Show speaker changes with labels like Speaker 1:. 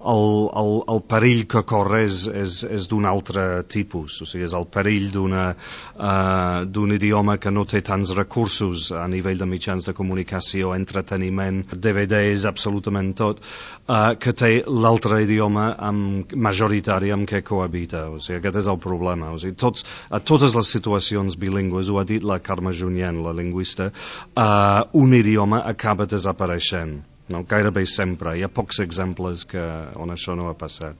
Speaker 1: el perill que corre és d'un altre tipus, o sigui, és el perill d'un idioma que no té tants recursos a nivell de mitjans de comunicació, entreteniment, DVDs, absolutament tot, que té l'altre idioma majoritari amb què cohabita. O sigui, aquest és el problema. O sigui, a totes les situacions bilingües, ho ha dit la Carme Junyent, la lingüista, un idioma acaba desapareixent. No? Gairebé sempre. Hi ha pocs exemples on això no ha passat.